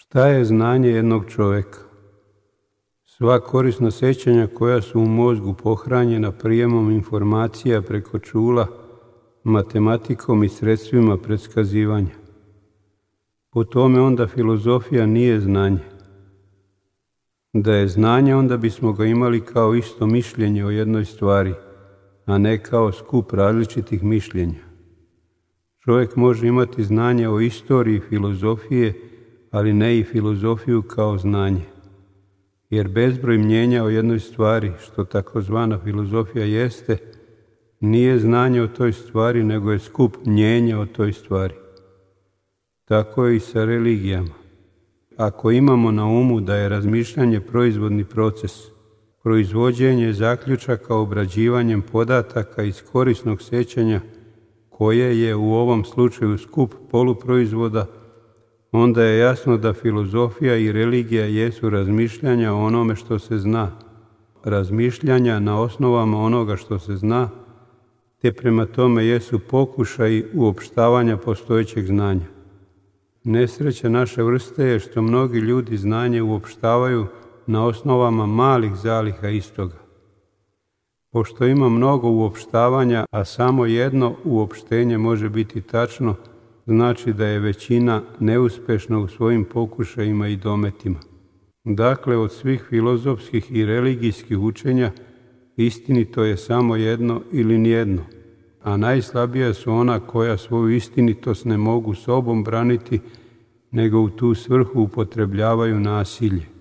Šta je znanje jednog čovjeka? Sva korisna sjećanja koja su u mozgu pohranjena prijemom informacija preko čula, matematikom i sredstvima predskazivanja. Po tome onda filozofija nije znanje. Da je znanje, onda bismo ga imali kao isto mišljenje o jednoj stvari, a ne kao skup različitih mišljenja. Čovjek može imati znanje o istoriji filozofije, ali ne i filozofiju kao znanje. Jer bezbroj mnjenja o jednoj stvari, što takozvana filozofija jeste, nije znanje o toj stvari, nego je skup mnjenja o toj stvari. Tako je i sa religijama. Ako imamo na umu da je razmišljanje proizvodni proces, proizvođenje zaključaka obrađivanjem podataka iz korisnog sjećanja, koje je u ovom slučaju skup poluproizvoda, onda je jasno da filozofija i religija jesu razmišljanja o onome što se zna, razmišljanja na osnovama onoga što se zna, te prema tome jesu pokušaji uopštavanja postojećeg znanja. Nesreća naše vrste je što mnogi ljudi znanje uopštavaju na osnovama malih zaliha istoga. Pošto ima mnogo uopštavanja, a samo jedno uopštenje može biti tačno, znači da je većina neuspešna u svojim pokušajima i dometima. Dakle, od svih filozofskih i religijskih učenja istinito je samo jedno ili nijedno, a najslabija su ona koja svoju istinitost ne mogu sobom braniti, nego u tu svrhu upotrebljavaju nasilje.